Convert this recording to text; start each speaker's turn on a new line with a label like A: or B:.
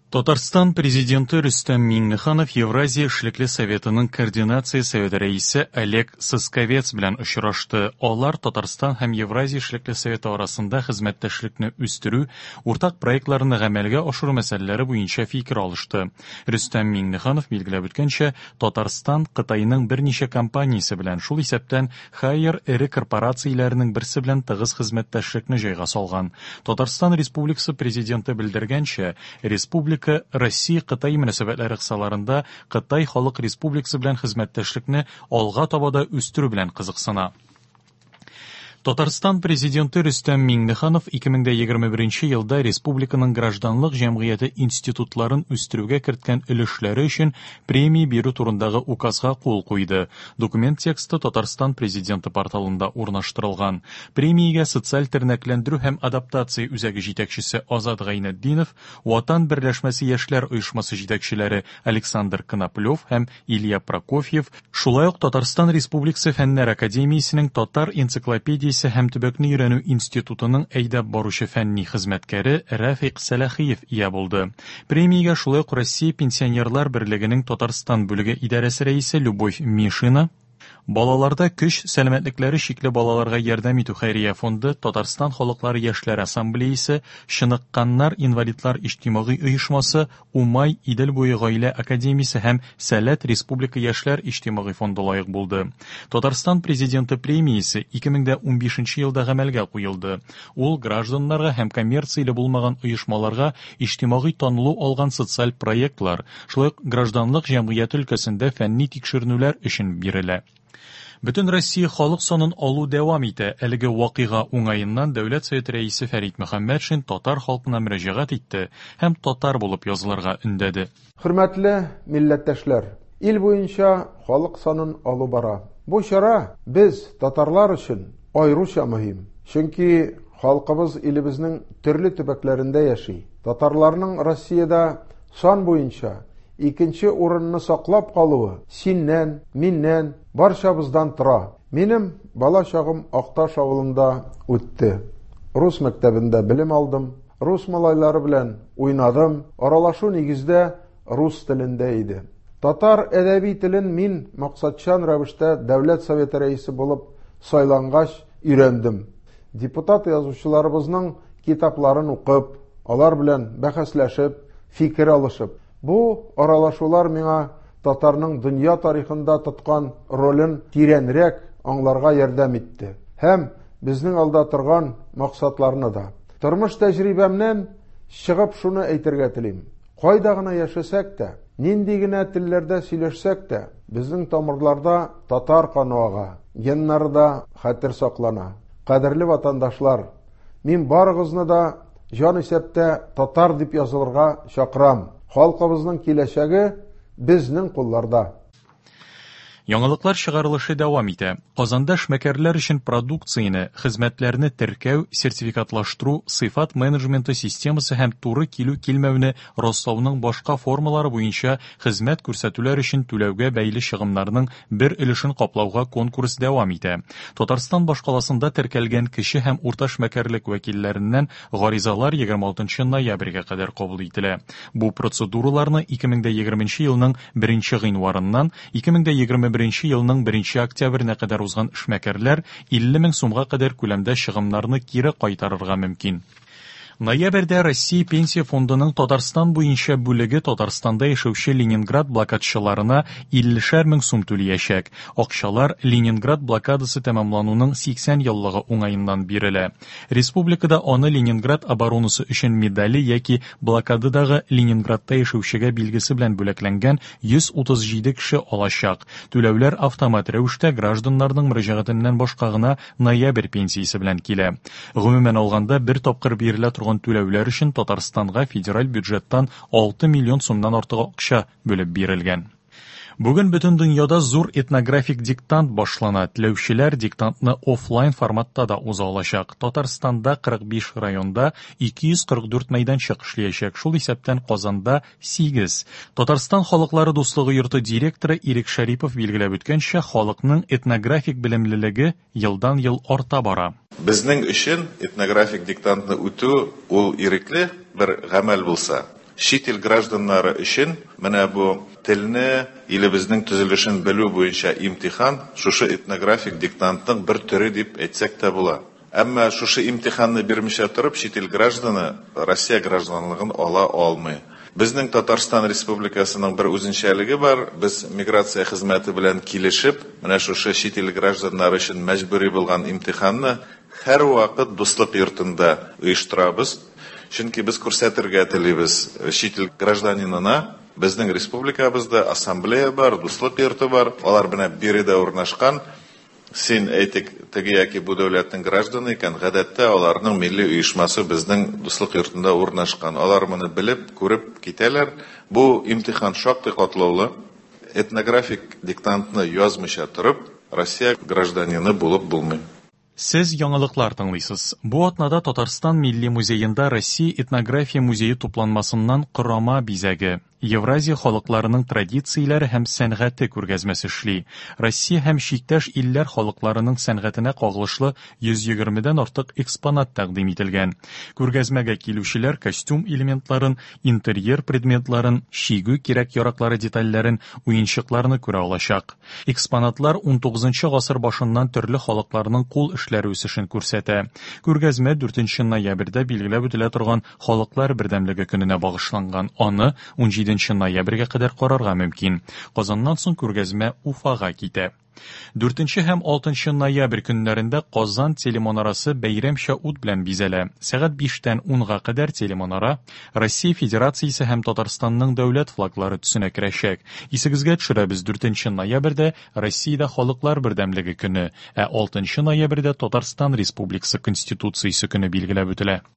A: Татарстан Президенты Рөстәм Миңнеханов Евразия эшлекле советының координация советы рәисе Олег Сосковец белән очрашты. Алар Татарстан һәм Евразия эшлекле советы арасында хезмәттәшлекне үстерү, уртак проектларны гамәлгә ашыру мәсьәләләре буенча фикер алышты. Рөстәм Миңнеханов билгеләп үткәнчә, Татарстан Кытайның берничә компаниясе белән, шул исәптән Haier эре корпорацияләренең берсе белән тыгыз хезмәттәшлекне җайга салган. Татарстан Республикасы Президенты белдергәнчә, республика Россия-Кытай мөнәсәбәтләре кысаларында Кытай Халык Республикасы белән хезмәттәшлекне алга таба да үстерү белән кызыксына. Татарстан Президенты Рөстәм Миңнеханов 2021 елда республиканың гражданлык җәмгыяте институтларын үстерүгә керткән өлешләре өчен премия бирү турындагы указга кул куйды. Документ тексты Татарстан Президенты порталында урнаштырылган. Премиягә социаль тернәкләндерү һәм адаптация үзәге җитәкчесе Азат Гайнетдинов, Ватан берләшмәсе яшьләр оешмасы җитәкчеләре Александр Коноплев һәм Илья Прокофьев, шулай ук Татарстан Республикасы Фәннәр академиясенең Татар энциклопедиясе һәм төбәкне өйрәнү институтының әйдәп баручы фәнни хезмәткәре Рәфыйк Сәләхиев ия булды. Премиягә шулай ук Россия Пенсионерлар берлегенең Татарстан бүлеге идарәсе рәисе Любовь Мишина, Балаларда көч, сәламәтлекләре чикле балаларга ярдәм итү хәйрия фонды, Татарстан халыклары яшьләр ассамблеясе, Чыныкканнар инвалидлар иҗтимагый оешмасы, Умай, Идел буе гаилә академиясе һәм Сәләт республика яшьләр иҗтимагый фонды лаек булды. Татарстан Президенты премиясе 2015 елда гамәлгә куелды. Ул гражданнарга һәм коммерцияле булмаган оешмаларга иҗтимагый танылу алган социаль проектлар, шулай ук гражданлык җәмгыяте өлкәсендә фәнни тикшеренүләр өчен бирелә. Бөтен Россия халык санын алу дәвам итә. Әлеге вакыйга уңаеннан Дәүләт Советы Рәисе Фәрит Мөхәммәтшин татар халкына мөрәҗәгать итте һәм татар булып язылырга өндәде.
B: Хөрмәтле милләттәшләр! Ил буенча халык санын алу бара. Бу чара без, татарлар өчен аеруча мөһим. Чөнки халкыбыз илебезнең төрле төбәкләрендә яши. Татарларның Россиядә сан буенча икенче урынны саклап калуы синнән, миннән, барчабыздан тора. Минем бала чагым Акташ авылында үтте. Рус мәктәбендә белем алдым, рус малайлары белән уйнадым, аралашу нигездә рус телендә иде. Татар әдәби телен мин максатчан рәвештә Дәүләт Советы рәисе булып сайлангач өйрәндем. Депутат язучыларыбызның китапларын укып, алар белән бәхәсләшеп, фикер алышып. Бу аралашулар миңа татарның дөнья тарихында тоткан ролен тирәнрәк аңларга ярдәм итте һәм безнең алда торган максатларны да. Тормыш тәҗрибәмнән чыгып шуны әйтергә телим. Кайда гына яшәсәк тә, нинди генә телләрдә сөйләшсәк тә, безнең тамырларда татар каны ага, геннарда хәтер саклана. Кадерле ватандашлар, мин барыгызны да җан исәптә татар дип язылырга чакырам. Халкыбызның киләчәге безнең кулларда.
A: Яңалыклар чыгарылышы дәвам итә. Казанда эшмәкәрләр өчен продукцияне, хезмәтләрне теркәү, сертификатлаштыру, сыйфат менеджменты системасы һәм туры килү-килмәүне раслауның башка формалары буенча хезмәт күрсәтүләр өчен түләүгә бәйле чыгымнарның бер өлешен каплауга конкурс дәвам итә. Татарстан башкаласында теркәлгән кече һәм урта эшмәкәрлек вәкилләреннән гаризалар 26 ноябрьгә кадәр кабул ителә. Бу процедураларны 2020 елның 1 гыйнварыннан 2021 елның 1 октябренә кадәр узган эшмәкәрләр 50 мең сумга кадәр күләмдә чыгымнарны кире кайтарырга мөмкин. Ноябрьдә Россия Пенсия фондының Татарстан буенча бүлеге Татарстанда яшәүче Ленинград блокадчыларына 50 мең сум түлиячәк. Акчалар Ленинград блокадасы тәмамлануның 80 еллыгы уңаеннан бирелә. Республикада аны Ленинград оборонасы өчен медале яки блокададагы Ленинградта яшәүчегә билгесе белән бүләкләнгән 137 кеше алачак. Түләүләр автомат рәвештә гражданнарның мөрәҗәгатеннән башка гына ноябрь пенсиясе белән килә. Гомумән алганда, бер тапкыр бирелә торган түләүләр өчен Татарстанга федераль бюджеттан 6 миллион сумнан артык акча бүлеп бирелгән. Бүген бөтен дөньяда зур этнографик диктант башлана. Теләүчеләр диктантны офлайн форматта да уза алачак. Татарстанда 45 районда 244 мәйданчык эшләячәк, шул исәптән Казанда 8. Татарстан халыклары дуслыгы йорты директоры Ирек Шәрипов билгеләп үткәнчә, халыкның этнографик белемлелеге елдан-ел арта бара.
C: Безнең өчен этнографик диктантны үтү ул ирекле бер гамәл булса, Чит ил гражданнары өчен менә бу телне, илебезнең төзелешен белү буенча имтихан шушы этнографик диктантның бер төре дип әйтсәк тә була. Әмма шушы имтиханны бирмичә торып, чит ил гражданы Россия гражданлыгын ала алмый. Безнең Татарстан Республикасының бер үзенчәлеге бар, без миграция хезмәте белән килешеп, менә шушы чит ил гражданнары өчен мәҗбүри булган имтиханны һәрвакыт Дуслык йортында оештырабыз. Чөнки без күрсәтергә телибез чит ил гражданинына, безнең республикабызда ассамблея бар, Дуслык йорты бар, алар менә биредә урнашкан. Син, әйтик, теге яки бу дәүләтнең гражданы икән, гадәттә аларның милли оешмасы безнең Дуслык йортында урнашкан. Алар моны белеп, күреп китәләр. Бу имтихан шактый катлаулы. Этнографик диктантны язмыйча торып, Россия гражданины булып булмый.
A: Сез яңалыклар тыңлыйсыз. Бу атнада Татарстан Милли музеенда Россия этнография музее тупланмасыннан Корама бизәге, Евразия халыкларының традицияләре һәм сәнгате күргәзмәсе эшли. Россия һәм чиктәш илләр халыкларының сәнгатенә кагылышлы 120 дән артык экспонат тәкъдим ителгән. Күргәзмәгә килүчеләр костюм элементларын, интерьер предметларын, чигү кирәк-яраклары детальләрен, уенчыкларны күрә алачак. Экспонатлар 19 гасыр башыннан төрле халыкларның кул эшләре үсешен күрсәтә. Күргәзмә 4 ноябрьдә билгеләп үтелә торган Халыклар бердәмлеге көненә багышланган. Аны 17 ноябрьгә кадәр карарга мөмкин. Казаннан соң күргәзмә Уфага китә. 4 һәм 6 ноябрь көннәрендә Казан телемонарасы бәйрәмчә ут белән бизәлә. Сәгать 5тән 10га кадәр телемонара Россия Федерациясе һәм Татарстанның дәүләт флаглары төсенә керәчәк. Исегезгә төшерәбез, 4 ноябрьдә Россиядә Халыклар бердәмлеге көне, ә 6 ноябрьдә Татарстан Республикасы Конституциясе көне билгеләп үтелә.